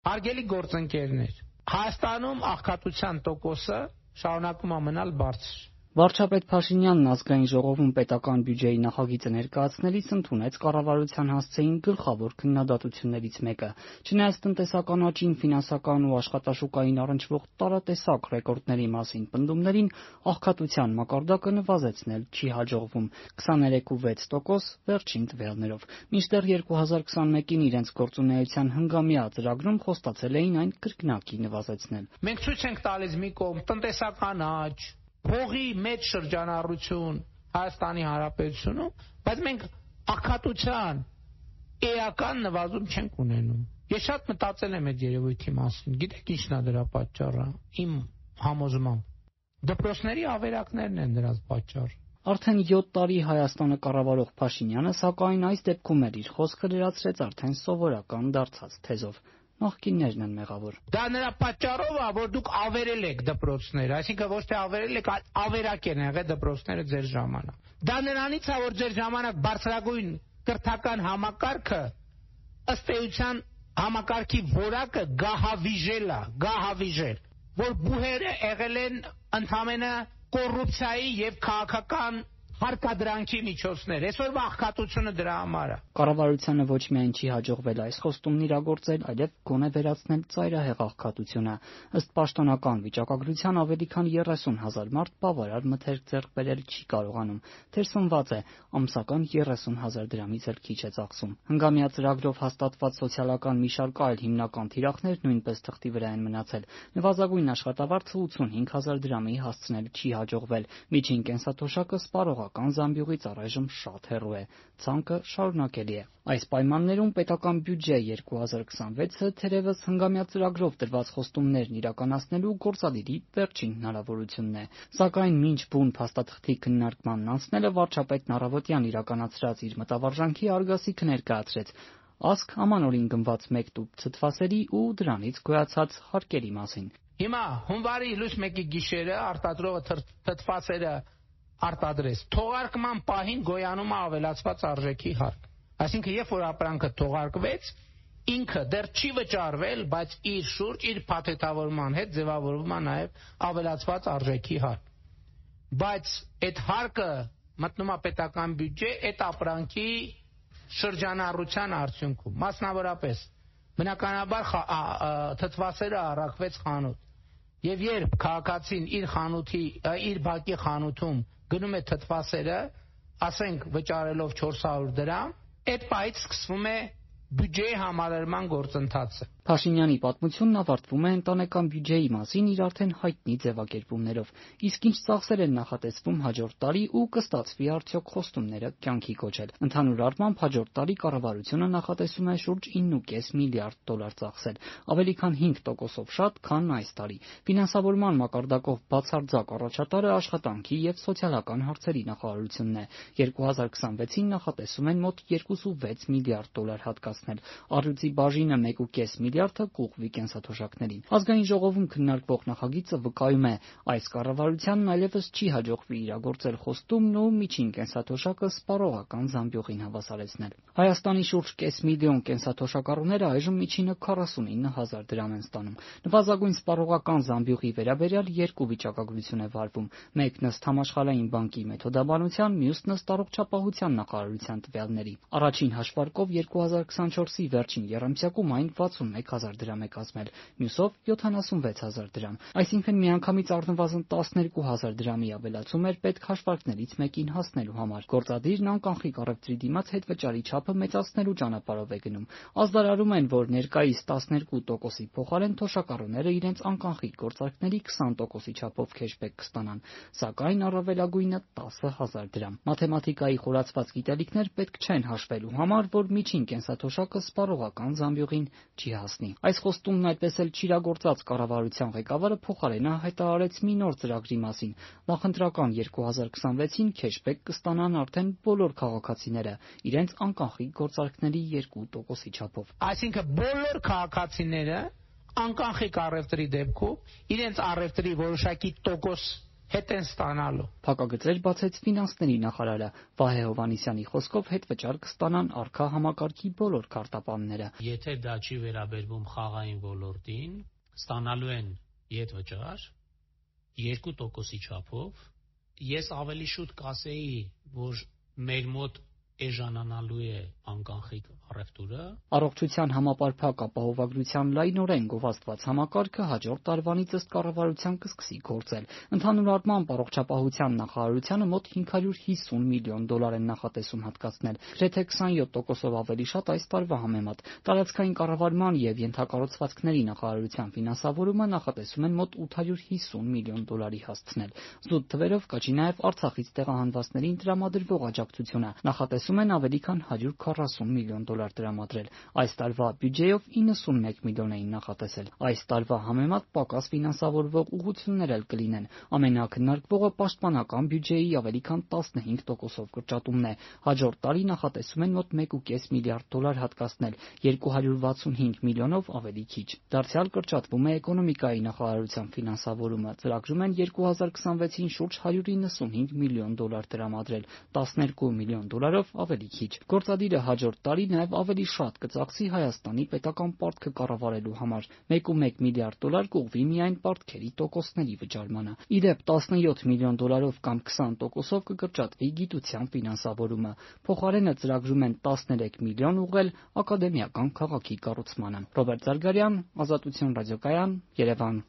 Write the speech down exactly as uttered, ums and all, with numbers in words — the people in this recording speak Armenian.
Հարգելի գործընկերներ, Հայաստանում աղքատության տոկոսը շարունակում է մնալ բարձր։ Վարչապետ Փաշինյանն ազգային ժողովում պետական բյուջեի նախագիծը ներկայացնելիս ընդունեց կառավարության հասցեին գլխավոր քննադատություններից մեկը։ Չնայած տնտեսական աճին, ֆինանսական ու աշխատաշուկային առնչվող տարատեսակ ռեկորդների մասին պնդումներին, աղքատության մակարդակը նվազեցնել չի հաջողվում՝ քսաներեք ու վեց տոկոս վերջին տվյալներով։ Մինչդեռ երկու հազար քսանմեկին իրենց գործունեության հնգամյա ծրագրում խոստացել էին այն կրկնակի նվազեցնել։ Մենք ցույց ենք տալիս մի կողմ տնտեսական աճ, փողի մեծ շրջանառություն Հայաստանի Հանրապետությունում, բայց մենք աղքատության էական նվազում չենք ունենում։ Ես շատ մտածել եմ այդ երևույթի մասին։ Գիտեք ինչն է դրա պատճառը։ Իմ համոզմամբ դպրոցների ավերակներն են դրանց պատճառը։ Արդեն յոթ տարի Հայաստանը կառավարող Փաշինյանը, սակայն, այս դեպքում էլ իր խոսքը լրացրեց արդեն սովորական դարձած թեզով։ Նախկիններն են մեղավոր։ Դա նրա պատճառով է, որ դուք ավերել եք դպրոցները, այսինքն ոչ թե ավերել եք, այլ ավերակ են եղել դպրոցները ձեր ժամանակ։ Դա նրանից է, որ ձեր ժամանակ բարձրագույն կրթական համակարգը ըստ էության համակարգի որակը գահավիժել է, գահավիժել, որ բուհերը եղել են ընդամենը կոռուպցիայի եւ քաղաքական հարկադրանքի միջոցներ։ Այսօրվա աղքատությունը դրա համար է։ Կառավարությանը ոչ միայն չի հաջողվել այս խոստումն իրագործել, այլև գոնե վերացնել ծայրահեղ աղքատությունը։ Ըստ պաշտոնական վիճակագրության ավելի քան երեսուն հազար մարդ բավարար մթերք ձեռք բերել չի կարողանում։ Թերսնված է, ամսական երեսուն հազար դրամից էլ քիչ է ծախսում։ Հնգամյա ծրագրով հաստատված սոցիալական մի շարք այլ հիմնական թիրախներ նույնպես թղթի վրա են մնացել։ Նվազագույն աշխատավարձը ութսունհինգ հազար դրամի հասցնել չի հաջողվել։ Միջին կենսաթոշակը սպառողական զամբյուղից առայժմ շատ հեռու է։ Ցանկը շարունակելի է։ Այս պայմաններում պետական բյուջե երկու հազար քսանվեցը թերևս հնգամյա ծրագրով տրված խոստումներն իրականացնելու գործադիրի վերջին հնարավորությունն է։ Սակայն մինչ բուն փաստաթղթի քննարկմանն անցնելը վարչապետն առավոտյան իրականացրած իր մտավարժանքի արգասիքը ներկայացրեց։ Ասք ամանորին գնված մեկ տուփ ցտվասերի ու դրանից գոյացած հարկերի մասին։ Հիմա հունվարի լույս մեկի գիշերը արտադրողը թթվասերը արտադրեց։ Թողարկման պահին գոյանում է ավելացված արժեքի հարկ։ Այսինքն, երբ որ ապրանքը թողարկվեց, ինքը դեռ չի վճարվել, բայց իր շուրջ, իր փաթեթավորման հետ ձևավորվում է նաև ավելացված արժեքի հարկ։ Բայց այդ հարկը մտնում է պետական բյուջե այդ ապրանքի շրջանառության արդյունքում։ Մասնավորապես, բնականաբար թթվասերը առաքվեց խանութ։ Եվ երբ քաղաքացին իր խանութի, իր բակի խանութում գնում է թթվասերը, ասենք վճարելով չորս հարյուր դրամ, այդ պահից սկսվում է բյուջեի համալրման գործընթացը։ Փաշինյանի պատմությունն ավարտվում է ընտանեկան բյուջեի մասին իր արդեն հայտնի ձևակերպումներով։ Իսկ ինչ ծախսեր են նախատեսվում հաջորդ տարի ու կստացվի արդյոք խոստումները կյանքի կոչել։ Ընդհանուր առմամբ հաջորդ տարի կառավարությունը նախատեսում է շուրջ ինը կόμμα պենս միլիարդ դոլար ծախսել, ավելի քան հինգ տոկոսով շատ, քան այս տարի։ Ֆինանսավորման մակարդակով բացարձակ առաջատարը աշխատանքի եւ սոցիալական հարցերի նախարարությունն է։ երկու հազար քսանվեցին նախատեսում են մոտ երկու կόμμα վեց միլիարդ դոլար հատկացնել։ Առյուծի բաժինը մեկ կόμma պենս միլիարդը կուղղվի կենսաթոշակներին։ Ազգային ժողովում քննարկվող նախագիծը վկայում է, այս կառավարությանն այլևս չի հաջողվի իրագործել խոստումն ու միջին կենսաթոշակը սպառողական զամբյուղին հավասարեցնել։ Հայաստանի շուրջ կես միլիոն կենսաթոշակառուները այժմ միջինը քառասունինը հազար դրամ են ստանում։ Նվազագույն սպառողական զամբյուղի վերաբերյալ երկու վիճակագրություն է վարվում։ Մեկն ըստ Համաշխարհային բանկի մեթոդաբանության, մյուսն ըստ առողջապահության նախարարության տվյալների։ Առաջին հաշվարկով երկու հազար քսանչորսի վերջին եռամսյակում այն վաթսունմեկ հազար դրամ է կազմել, մյուսով յոթանասունվեց հազար դրամ։ Այսինքն միանգամից առնվազն տասներկու հազար դրամի ավելացում էր պետք հաշվարկներից մեկին հասնելու համար։ Գործադիրն անկանխիկ առևտրի դիմաց հետվճարի չափը մեծացնելու ճանապարհով է գնում։ Ազդարարում են, որ ներկայիս տասներկու տոկոսի փոխարեն թոշակառուները իրենց անկանխիկ գործարքների քսան տոկոսի չափով քեշբեք կստանան, սակայն առավելագույնը տասը հազար դրամ։ Մաթեմատիկայի խորացված գիտելիքներ պետք չեն հաշվելու համար, որ միջին կենսաթոշակը սպառողական զամբյուղին չի հասնի։ Այս խոստումն այդպես էլ չիրագործած կառավարության ղեկավարը փոխարենը հայտարարեց մի նոր ծրագրի մասին։ Նախընտրական երկու հազար քսանվեցին քեշբեք կստանան արդեն բոլոր քաղաքացիները իրենց անկանխիկ գործարքների երկու տոկոսի չափով։ Այսինքն բոլոր քաղաքացիները անկանխիկ առևտրի դեպքում իրենց առևտրի որոշակի տոկոս հետ են ստանալու։ Փակագծեր բացեց ֆինանսների նախարարը։ Վահե Հովհաննիսյանի խոսքով հետվճար կստանան առկա համակարգի բոլոր քարտապանները։ Եթե դա չի վերաբերվում խաղային ոլորտին, ստանալու են ետվճար երկու տոկոսի չափով։ Ես ավելի շուտ կասեի, որ մեր մոտ էժանանալու է անկանխիկ առևտուրը։ Առողջության համապարփակ ապահովագրության լայնորեն գովազդված համակարգը հաջորդ տարվանից ըստ կառավարության կսկսի գործել։ Ընդհանուր առմամբ առողջապահության նախարարությանը մոտ հինգ հարյուր հիսուն միլիոն դոլար են նախատեսում հատկացնել, գրեթե քսանյոթ տոկոսով ավելի շատ այս տարվա համեմատ։ Տարածքային կառավարման եւ ենթակառուցվածքների նախարարության ֆինանսավորումը նախատեսում են մոտ ութ հարյուր հիսուն միլիոն դոլարի հասցնել։ Զուտ թվերով կաճի նաեւ Արցախից տեղահանվածներին տրամադրվող աջակցությունը։ Նախատեսում են ավելի քան հարյուր քառասուն միլիոն դոլար տրամադրել։ Այս տարվա բյուջեով իննսունմեկ միլիոն էին նախատեսել։ Այս տարվա համեմատ պակաս ֆինանսավորվող ուղղություններ էլ կլինեն։ Ամենաքննարկվողը պաշտպանական բյուջեի ավելի քան տասնհինգ տոկոսով կրճատումն է։ Հաջորդ տարի նախատեսում են մոտ մեկ կես միլիարդ դոլար հատկացնել, երկու հարյուր վաթսունհինգ միլիոնով ավելի քիչ։ Դարձյալ կրճատվում է էկոնոմիկայի նախարարության ֆինանսավորումը։ Ծրագրում են երկու հազար քսանվեցին շուրջ հարյուր իննսունհինգ միլիոն դոլար տրամադրել, տասներկու միլիոն դոլարով ավելի քիչ։ Գործադիրը հաջորդ տարի նաև ավելի շատ կծախսի Հայաստանի պետական պարտքը կառավարելու համար։ մեկ կόμ մեկ միլիարդ դոլար կուղղվի միայն պարտքերի տոկոսների վճարմանը։ Ի դեպ, տասնյոթ միլիոն դոլարով կամ քսան տոկոսով կկրճատվի գիտության ֆինանսավորումը։ Փոխարենը ծրագրում են տասներեք միլիոն ուղղել ակադեմիական քաղաքի կառուցմանը։ Ռոբերտ Զարգարյան, Ազատություն ռադիոկայան, Երևան։